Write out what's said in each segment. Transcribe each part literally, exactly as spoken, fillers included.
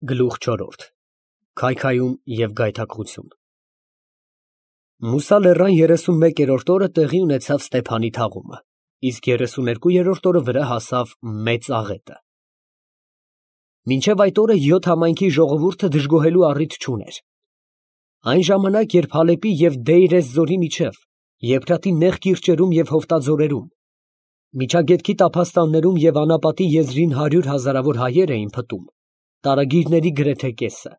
Գլուխ չորրորդ Քայքայում և գայթակղություն Մուսա լեռան երեսունմեկերորդ օրը տեղի ունեցավ Ստեփանի թաղումը, իսկ երեսուներկուերորդ օրը վրա հասավ Մեծ աղետը։ Մինչև այդ օրը յոթ համայնքի ժողովուրդը դժգոհելու առիթ չուներ։ Այն ժամանակ, երբ Հալեպի և Դեյր ez-Զորի միջև, Եփրատի նեղ կիրճերում և հովտաձորերում, Միջագետքի տափաստաններում և անապատի եզրին հարյուր հազարավոր հայեր էին փտում, տարագիրների գրեթե կեսը,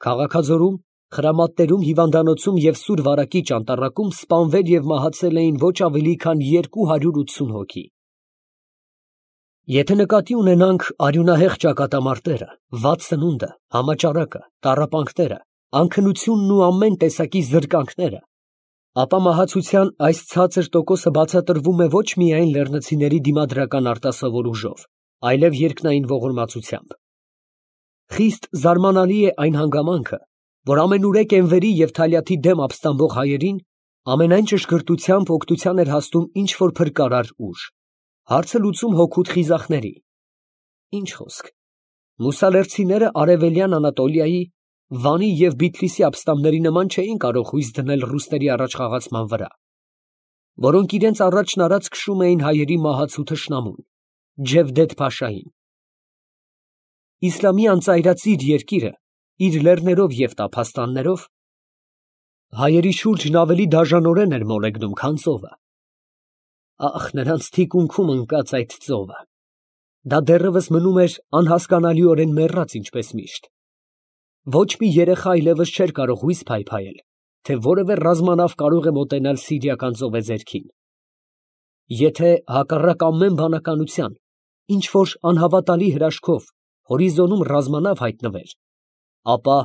Քաղաքաձորում, Խրամատներում, Հիվանդանոցում և Սուր Վարակի ճանտառակում սպանվել և մահացել էին ոչ ավելի քան երկու հարյուր ութսուն հոգի։ Եթե նկատի ունենանք արյունահեղ ճակատամարտերը, վատ սնունդը, համաճարակը, տառապանքները, անքնությունն ու ամեն տեսակի զրկանքները, ապա մահացության այս ցածր տոկոսը բացատրվում է ոչ միայն լեռնցիների դիմադրական արտասովոր ուժով, այլև երկնային ողորմածությամբ։ Խիստ զարմանալի է այն հանգամանքը, որ ամենուրեք Էնվերի և Թալյաթի դեմ ապստամբող հայերին ամենայն ճշգրտությամբ օգնության էր հասնում ինչ֊որ փրկարար ուժ, հարցը լուծում հօգուտ խիզախների։ Ինչ խոսք, մուսալերցիները արևելյան Անատոլիայի, Վանի և Բիթլիսի ապստամբների նման չէին կարող հույս դնել ռուսների առաջխաղացման վրա, որոնք իրենց առաջն արած քշում էին հայերի մահացու թշնամուն՝ Ջևդեթ֊փաշային։ Իսլամի անծայրածիր երկիրը, իր լեռներով և տափաստաններով, հայերի շուրջն ավելի դաժանորեն էր մոլեգնում, քան ծովը։ Ախ, նրանց թիկունքում ընկած այդ ծովը… Դա դեռևս մնում էր անհասկանալիորեն մեռած, ինչպես միշտ։ Ոչ մի երեխա այլևս չէր կարող հույս փայփայել, թե որևէ ռազմանավ կարող է մոտենալ Սիրիական ծովեզերքին։ Եթե, հակառակ ամեն բանականության, ինչ֊որ անհավատալի հրաշքով հորիզոնում ռազմանավ հայտնվեր, ապա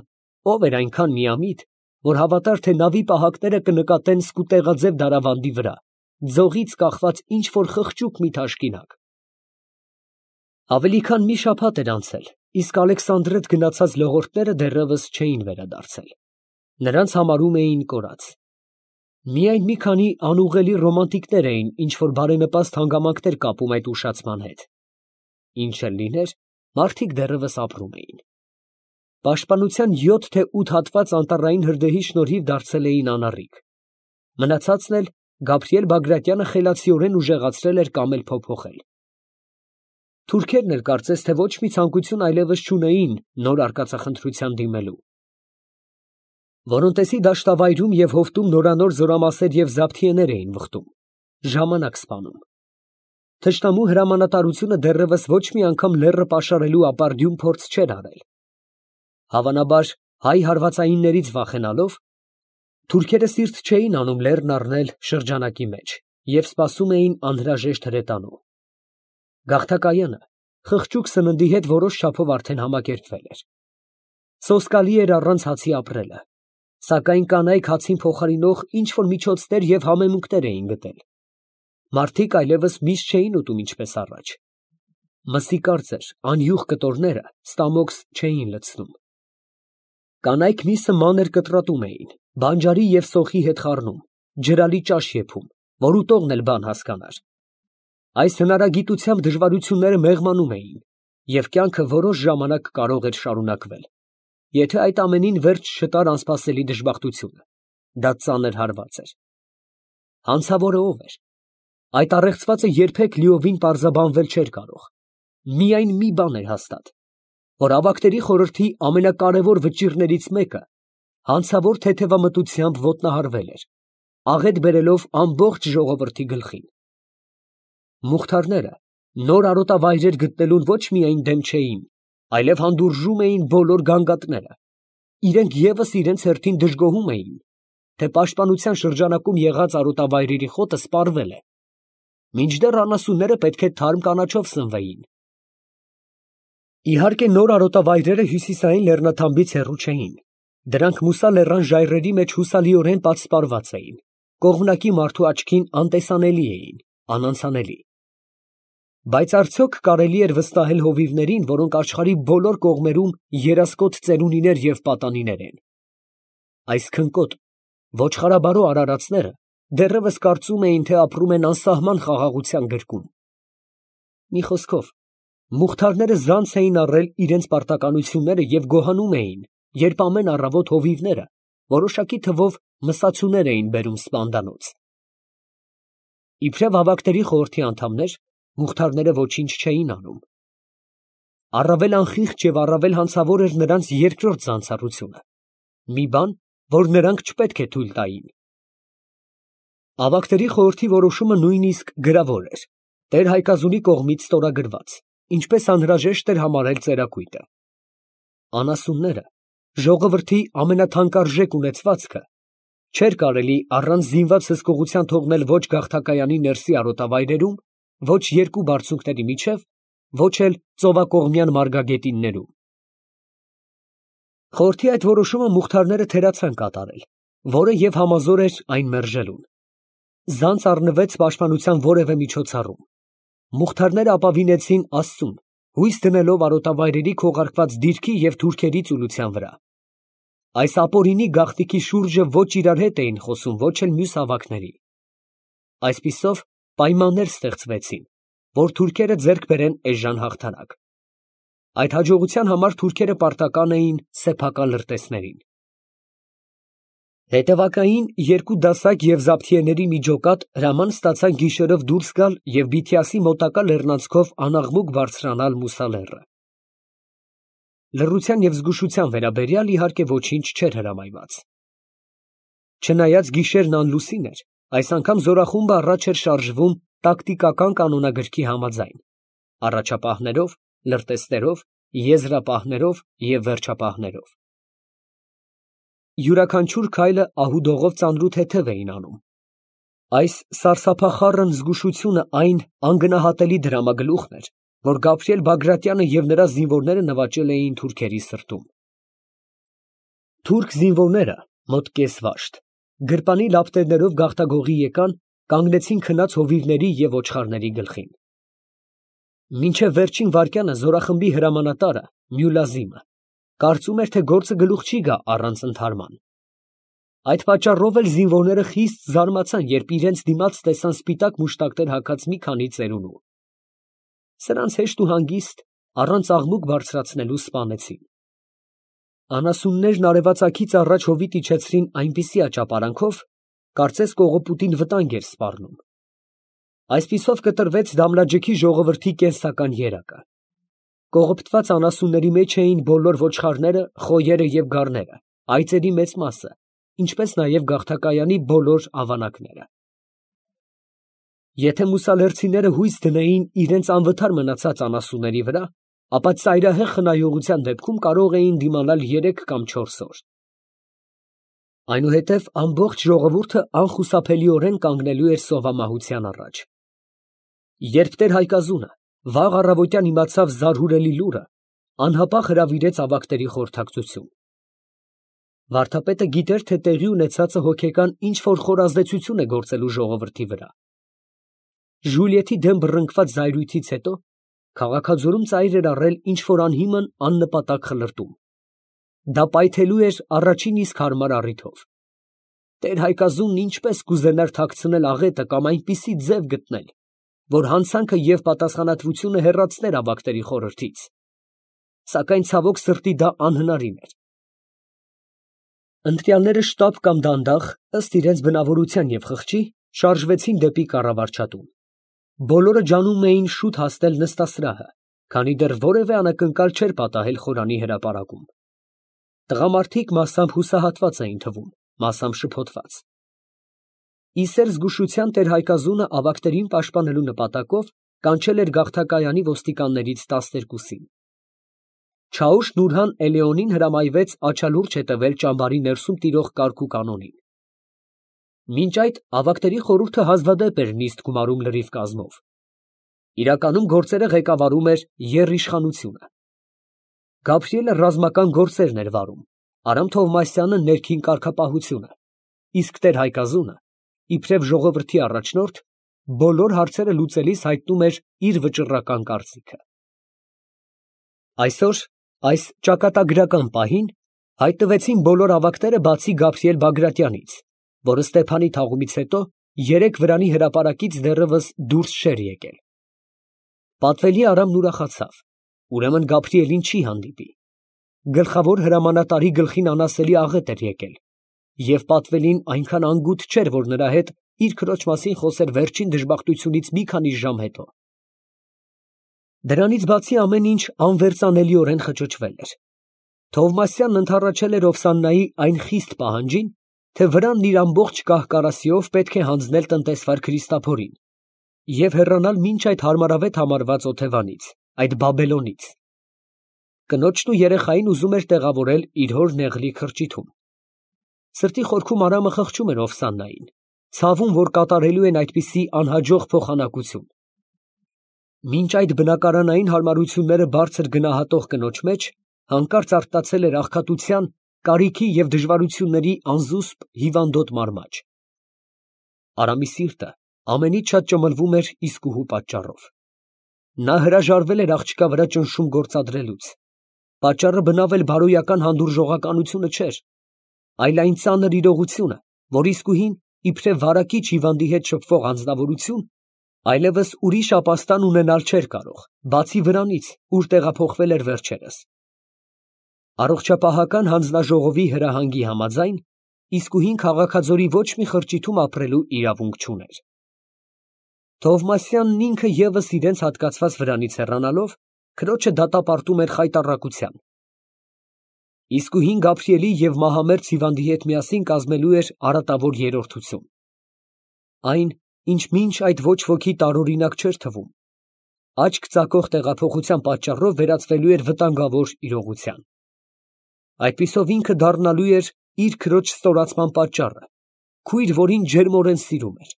ո՞վ էր այնքան միամիտ, որ հավատար, թե նավի պահակները կնկատեն սկուտեղաձև դարավանդի վրա, ձողից կախված ինչ֊որ խղճուկ մի թաշկինակ։ Ավելի քան մի շաբաթ էր անցել, իսկ Ալեքսանդրետ գնացած լողորդները դեռևս չէին վերադարձել. նրանց համարում էին կորած։ Միայն մի քանի անուղղելի ռոմանտիկներ էին ինչ֊որ բարենպաստ հանգամանքներ կապում այդ ուշացման հետ։ Ինչ էլ լիներ, մարդիկ դեռևս ապրում էին։ Պաշտպանության յոթ թե ութ հատված անտառային հրդեհի շնորհիվ դարձել էին անառիկ։ Մնացածն էլ Գաբրիել Բագրատյանը խելացիորեն ուժեղացրել էր կամ էլ փոփոխել։ Թուրքերն էլ կարծես թե ոչ մի ցանկություն այլևս չունեին նոր արկածախնդրության դիմելու։ Որոնտեսի դաշտավայրում և հովտում նորանոր զորամասեր և զաբթիեներ էին վխտում, ժամանակ սպանում։ Թշնամու հրամանատարությունը դեռևս ոչ մի անգամ լեռը պաշարելու ապարդյուն փորձ չէր արել։ Հավանաբար, հայ հարվածայիններից վախենալով, թուրքերը սիրտ չէին անում լեռն առնել շրջանակի մեջ և սպասում էին անհրաժեշտ հրետանու։ Գաղթակայանը խղճուկ սննդի հետ որոշ չափով արդեն համակերպվել էր։ Սոսկալի էր առանց հացի ապրելը, սակայն կանայք հացին փոխարինող ինչ֊որ միջոցներ և համեմունքներ էին գտել։ Մարդիկ այլևս միս չէին ուտում ինչպես առաջ։ Մսի կարծր, անյուղ կտորները ստամոքս չէին լցնում։ Կանայք միսը մանր կտրատում էին, բանջարի և սոխի հետ խառնում, ջրալի ճաշ եփում, որ ուտողն էլ բան հասկանար։ Այս հնարագիտությամբ դժվարությունները մեղմանում էին, և կյանքը որոշ ժամանակ կարող էր շարունակվել, եթե այդ ամենին վերջ չտար անսպասելի դժբախտությունը։ Դա ծանր հարված էր։ Հանցավորը ո՞վ էր։ Այդ առեղծվածը երբեք լիովին պարզաբանվել չէր կարող։ Միայն մի բան էր հաստատ, որ ավագների խորհրդի ամենակարևոր վճիռներից մեկը հանցավոր թեթևամտությամբ ոտնահարվել էր, աղետ բերելով ամբողջ ժողովրդի գլխին։ Մուղթարները նոր արոտավայրեր գտնելուն ոչ միայն դեմ չէին, այլև հանդուրժում էին բոլոր գանգատները։ Իրենք ևս իրենց հերթին դժգոհում էին, թե պաշտպանության շրջանակում եղած արոտավայրերի խոտը սպառվել է, մինչդեռ անասունները պետք է թարմ կանաչով սնվեին։ Իհարկե, նոր արոտավայրերը հյուսիսային լեռնաթամբից հեռու չէին։ Դրանք Մուսա լեռան ժայռերի մեջ հուսալիորեն պատսպարված էին, կողմնակի մարդու աչքին անտեսանելի էին, անանցանելի։ Բայց արդյոք կարելի էր վստահել հովիվներին, որոնք աշխարհի բոլոր կողմերում երասկոտ ծերունիներ և պատանիներ են։ Այս քնկոտ, ոչխարաբարո արարածները դեռևս կարծում էին, թե ապրում են անսահման խաղաղության գրկում։ Մի խոսքով, Մուխթարները զանց էին առել իրենց պարտականությունները և գոհանում էին, երբ ամեն առավոտ հովիվները որոշակի թվով մսացուներ էին բերում սպանդանոց։ Իբրև ավագների խորհրդի անդամներ, մուխթարները ոչինչ չէին անում։ Առավել անխիղճ և առավել հանցավոր էր նրանց երկրորդ զանցառությունը, մի բան, որ նրանք չպետք է թույլ տային։ Ավագների խորհրդի որոշումը նույնիսկ գրավոր էր, տեր֊Հայկազունի կողմից ստորագրված, ինչպես անհրաժեշտ էր համարել ծերակույտը։ Անասունները, ժողովրդի ամենաթանկարժեք ունեցվածքը, չէր կարելի առանց զինված հսկողության թողնել ոչ գաղթակայանի ներսի արոտավայրերում, ոչ երկու բարձունքների միջև, ոչ էլ ծովակողմյան մարգագետիններում։ Խորհրդի այդ որոշումը մուխթարները թերացան կատարել, որը և համազոր էր այն մերժելուն։ Զանց առնվեց պաշտպանության որևէ միջոցառում։ Մուխթարները ապավինեցին Աստծուն, հույս դնելով արոտավայրերի քողարկված դիրքի և թուրքերի ծուլության վրա։ Այս ապօրինի գաղտնիքի շուրջը ոչ իրար հետ էին խոսում, ոչ էլ մյուս ավագների։ Այսպիսով պայմաններ ստեղծվեցին, որ թուրքերը ձեռք բերեն էժան հաղթանակ։ Այդ հաջողության համար թուրքերը պարտական էին սեփական լրտեսներին։ Հետևակային երկու դասակ և զաբթիեների մի ջոկատ հրաման ստացան գիշերով դուրս գալ և Բիթիասի մոտակա լեռնանցքով անաղմուկ բարձրանալ Մուսա լեռը։ Լռության և զգուշության վերաբերյալ իհարկե ոչինչ չէր հրամայված։ Չնայած գիշերն անլուսին էր, այս անգամ զորախումբը առաջ էր շարժվում տակտիկական կանոնագրքի համաձայն, առաջապահներով, լրտեսներով, եզրապահներով և վերջապահներով։ Յուրաքանչյուր քայլը ահուդողով ծանրութեթև էին անում։ Այս սարսափախառն զգուշությունը այն անգնահատելի դրամագլուխն էր, որ Գաբրիել Բագրատյանը և նրա զինվորները նվաճել էին թուրքերի սրտում։ Թուրք զինվորները, մոտ կես վաշտ, գրպանի լապտերներով գաղտագողի եկան, կանգնեցին քնած հովիվների և ոչխարների գլխին։ Մինչև վերջին վայրկյանը զորախմբի հրամանատարը Մյուլազիմը կարծում էր, թե գործը գլուխ չի գա առանց ընդհարման։ Այդ պատճառով էլ զինվորները խիստ զարմացան, երբ իրենց դիմաց տեսան սպիտակ մուշտակներ հագած մի քանի ծերունու։ Սրանց հեշտ ու հանգիստ, առանց աղմուկ բարձրացնելու սպանեցին։ Անասուններն արևածագից առաջ հովիտ իջեցրին այնպիսի աճապարանքով, կարծես կողոպուտին վտանգ էր սպառնում։ Այսպիսով կտրվեց Դամլաջեքի ժողովրդի կենսական երակը։ Կողոպտված անասունների մեջ էին բոլոր ոչխարները, խոյերը և գառները, այծերի մեծ մասը, ինչպես նաև գաղթակայանի բոլոր ավանակները։ Եթե մուսալերցիները հույս դնեին իրենց անվթար մնացած անասունների վրա, ապա ծայրահեղ խնայողության դեպքում կարող էին դիմանալ երեք կամ չորս օր։ Այնուհետև ամբողջ ժողովուրդը անխուսափելիորեն կանգնելու էր սովամահության առաջ։ Երբ տեր֊Հայկազունը վաղ առավոտյան իմացավ զարհուրելի լուրը, անհապաղ հրավիրեց ավագների խորհրդակցություն։ Վարդապետը գիտեր, թե տեղի ունեցածը հոգեկան ինչ֊որ խորազդեցություն է գործելու ժողովրդի վրա։ Ժուլիեթի դեմ բռնկված զայրույթից հետո քաղաքաձորում ծայր էր առել ինչ֊որ անհիմն աննպատակ խլրտում։ Դա պայթելու էր առաջին իսկ հարմար առիթով։ Տեր֊Հայկազունն ինչպես կուզենար թաքցնել աղետը կամ այնպիսի ձև գտնել, որ հանցանքը և պատասխանատվությունը հեռացներ ավագների խորհրդից, սակայն ցավոք սրտի դա անհնարին էր։ Ընտրյալները շտապ կամ դանդաղ, ըստ իրենց բնավորության և խղճի, շարժվեցին դեպի կառավարչատուն։ Բոլորը ջանում էին շուտ հասնել նստասրահը, քանի դեռ որևէ անակնկալ չէր պատահել խորանի հրապարակում։ Տղամարդիկ մասամբ հուսահատված էին թվում, մասամբ շփոթված։ Իսեր զգուշության տեր֊Հայկազունը ավագներին պաշտպանելու նպատակով կանչել էր գաղթակայանի ոստիկաններից տասներկուսին։ Չաուշ Նուրհան Էլեոնին հրամայվեց աչալուրջ հետևել ճամբարի ներսում տիրող կարգ ու կանոնին։ Մինչ այդ ավագների խորհուրդը հազվադեպ էր նիստ գումարում լրիվ կազմով։ Իրականում գործերը ղեկավարում էր եռիշխանությունը։ Գաբրիելը ռազմական գործերն էր վարում, Արամ Թովմասյանը ներքին կարգապահությունը, իսկ տեր֊Հայկազունը, իբրև ժողովրդի առաջնորդ, բոլոր հարցերը լուծելիս հայտնում էր իր վճռական կարծիքը։ Այսօր, այս ճակատագրական պահին, հայտնվեցին բոլոր ավագները բացի Գաբրիել Բագրատյանից, որը Ստեփանի թաղումից հետո երեկ Վրանի հրապարակից դեռևս դուրս չէր եկել։ Պատվելի Արամն ուրախացավ, ուրեմն Գաբրիելին չի հանդիպի։ Գլխավոր հրամանատարի գլխին անասելի աղետ էր եկել, և պատվելին այնքան անգութ չէր, որ նրա հետ իր քրոջ մասին խոսեր վերջին դժբախտությունից մի քանի ժամ հետո։ Դրանից բացի ամեն ինչ անվերծանելիորեն խճճվել էր։ Թովմասյանն ընդառաջել էր Օվսաննայի այն խիստ պահանջին, թե վրանն իր ամբողջ կահ֊կարասիով պետք է հանձնել տնտեսվար Քրիստափորին և հեռանալ մինչ այդ հարմարավետ համարված օթևանից, այդ Բաբելոնից։ Կնոջն ու երեխային ուզում էր տեղավորել իր հոր նեղլի քրճիթում։ Սրտի խորքում Արամը խղճում էր Օվսաննային, ցավում, որ կատարելու են այդպիսի անհաջող փոխանակություն։ Մինչ այդ բնակարանային հարմարությունները բարձր գնահատող կնոջ մեջ հանկարծ արթնացել էր աղքատության, կարիքի և դժվարությունների անզուսպ հիվանդոտ մարմաջ։ Արամի սիրտը ամենից շատ ճմլվում էր իսկուհու պատճառով։ Նա հրաժարվել էր աղջկա վրա ճնշում գործադրելուց։ Պատճառը բնավել բարոյական հանդուրժողականությունը չէր, այլ այն ծանր իրողությունը, որ իսկուհին, իբրև վարակիչ հիվանդի հետ շփվող անձնավորություն, այլևս ուրիշ ապաստան ունենալ չէր կարող, բացի վրանից, ուր տեղափոխվել էր վերջերս։ Առողջապահական հանձնաժողովի հրահանգի համաձայն, իսկուհին քաղաքաձորի ոչ մի խրճիթում ապրելու իրավունք չուներ։ Թովմասյանն ինքը ևս իրենց հատկացված վրանից հեռանալով, քրոջը դատապարտում էր խայտառակության։ Իսկուհին Գաբրիելի և մահամերձ հիվանդի հետ միասին կազմելու էր արատավոր երրորդություն։ Այն, ինչ մինչ այդ ոչ ոքի տարօրինակ չէր թվում, աչք ծակող տեղափոխության պատճառով վերածվելու էր վտանգավոր իրողության։ Այդպիսով ինքը դառնալու էր իր քրոջ ստորացման պատճառը, քույր, որին ջերմորեն սիրում էր։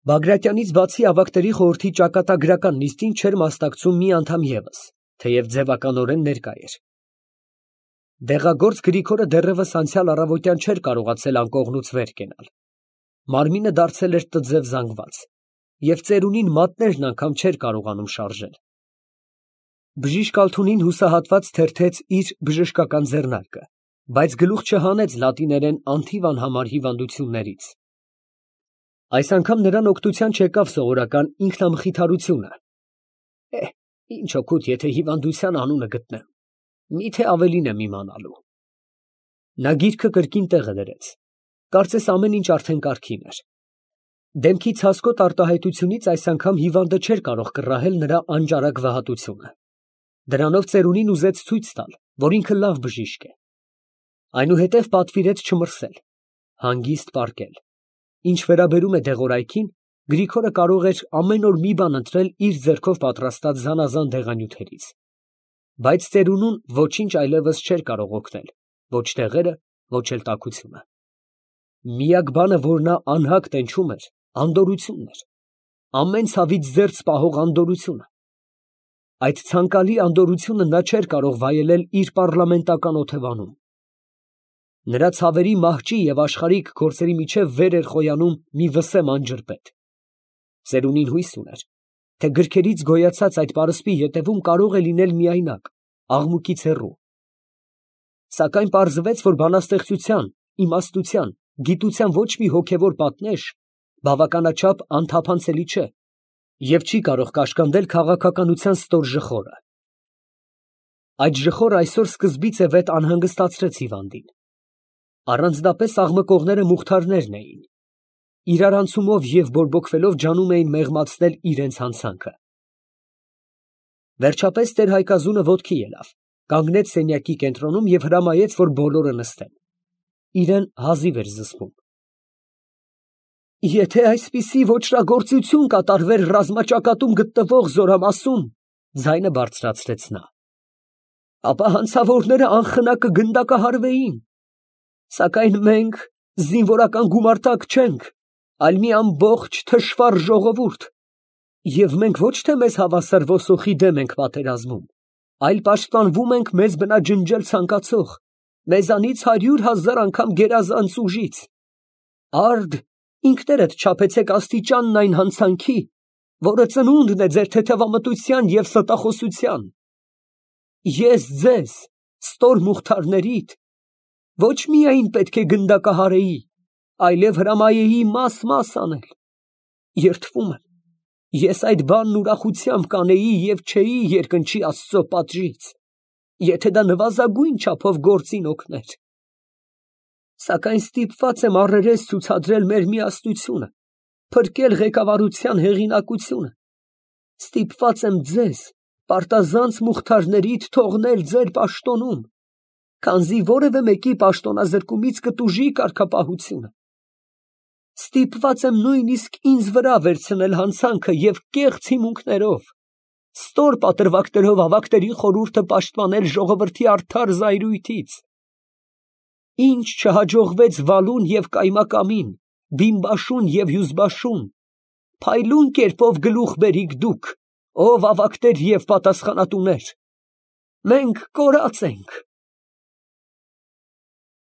Բագրատյանից բացի ավագների խորհրդի ճակատագրական նիստին չէր մասնակցում մի անդամ ևս, թեև ձևականորեն ներկա էր։ Դեղագործ Գրիգորը դեռևս անցյալ առավոտյան չէր կարողացել անկողնուց վեր կենալ։ Մարմինը դարձել էր տձև զանգված, և ծերունին մատներն անգամ չէր կարողանում շարժել։ Բժիշկ Ալթունին հուսահատված թերթեց իր բժշկական ձեռնարկը, բայց գլուխ չհանեց լատիներեն անթիվ անհամար հիվանդություններից։ Այս անգամ նրան օգնության չեկավ սովորական ինքնամխիթարությունը. «Է, ինչ օգուտ, եթե հիվանդության անունը գտնեմ, միթե ավելին եմ իմանալու»։ Նա գիրքը կրկին տեղը դրեց, կարծես ամեն ինչ արդեն կարգին էր։ Դեմքի ցասկոտ արտահայտությունից այս անգամ հիվանդը չէր կարող կռահել նրա անճարակ վհատությունը։ Դրանով ծերունին ուզեց ցույց տալ, որ ինքը լավ բժիշկ է։ Այնուհետև պատվիրեց չմրսել, հանգիստ պառկել։ Ինչ վերաբերում է դեղորայքին, Գրիգորը կարող էր ամեն օր մի բան ընտրել իր ձեռքով պատրաստած զանազան դեղանյութերից։ Բայց ծերունուն ոչինչ այլևս չէր կարող օգնել, ոչ դեղերը, ոչ էլ տաքությունը։ Միակ բանը, որ նա անհագ տենչում էր, անդորությունն էր, ամեն ցավից զերծ պահող անդորությունը։ Այդ ցանկալի անդորությունը նա չէր կարող վայելել իր պառլամենտական օթևանում։ Նրա ցավերի մահճի և աշխարհիկ գործերի միջև վեր էր խոյանում մի վսեմ անջրպետ։ Ծերունին հույս ուներ, թե գրքերից գոյացած այդ պարսպի ետևում կարող է լինել միայնակ, աղմուկից հեռու։ Սակայն պարզվեց, որ բանաստեղծության, իմաստության, գիտության ոչ մի հոգևոր պատնեշ բավականաչափ անթափանցելի չէ և չի կարող կաշկանդել քաղաքականության ստոր ժխորը։ Այդ ժխորը այսօր սկզբից է վետ անհանգստացրեց հիվանդին։ Առանձնապես աղմկողները մուղթարներն էին։ Իրարանցումով և բորբոքվելով ջանում էին մեղմացնել իրենց հանցանքը։ Վերջապես տեր Հայկազունը ոտքի ելավ, կանգնեց սենյակի կենտրոնում և հրամայեց, որ բոլորը նստեն։ Իրան հազիվ էր զսպում։ «Եթե այսպիսի ոճրագործություն կատարվեր ռազմաճակատում գտնվող զորամասում, ֊ ձայնը բարձրացրեց նա, ֊ ապա հանցավորները անխնա կգնդակահարվեին։ Սակայն մենք զինվորական գումարտակ չենք, այլ մի ամբողջ թշվառ ժողովուրդ, և մենք ոչ թե մեզ հավասար ոսոխի դեմ ենք պատերազմում, այլ պաշտպանվում ենք մեզ բնաջնջել ցանկացող, մեզանից հարյուր հազար անգամ գերազանց ուժից։ Արդ, ինքներդ չափեցեք աստիճանն այն հանցանքի, որը ծնունդն է ձեր թեթևամտության և ստախոսության։ Ես ձեզ, ստոր մուղթարներիդ, ոչ միայն պետք է գնդակահարեի, այլև հրամայեի մաս֊մաս անել։ Երդվում եմ, Ես այդ բանն ուրախությամբ կանեի և չէի երկնչի Աստծո պատժից, եթե դա նվազագույն չափով գործին օգներ. սակայն ստիպված եմ առերես ցուցադրել մեր միասնությունը, փրկել ղեկավարության հեղինակությունը, ստիպված եմ ձեզ, պարտազանց մուղթարներիդ թողնել ձեր պաշտոնում, քանզի որևէ մեկի պաշտոնազրկումից կտուժի կարգապահությունը, ստիպված եմ նույնիսկ ինձ վրա վերցնել հանցանքը և կեղծ հիմունքներով, ստոր պատրվակներով ավագների խորհուրդը պաշտպանել ժողովրդի արդար զայրույթից, ինչ չհաջողվեց Վալուն և Կայմակամին, Բիմբաշուն և Հյուզբաշուն, փայլուն կերպով գլուխ բերիք դուք, ով ավագներ և պատասխանատուներ, մենք կորած ենք։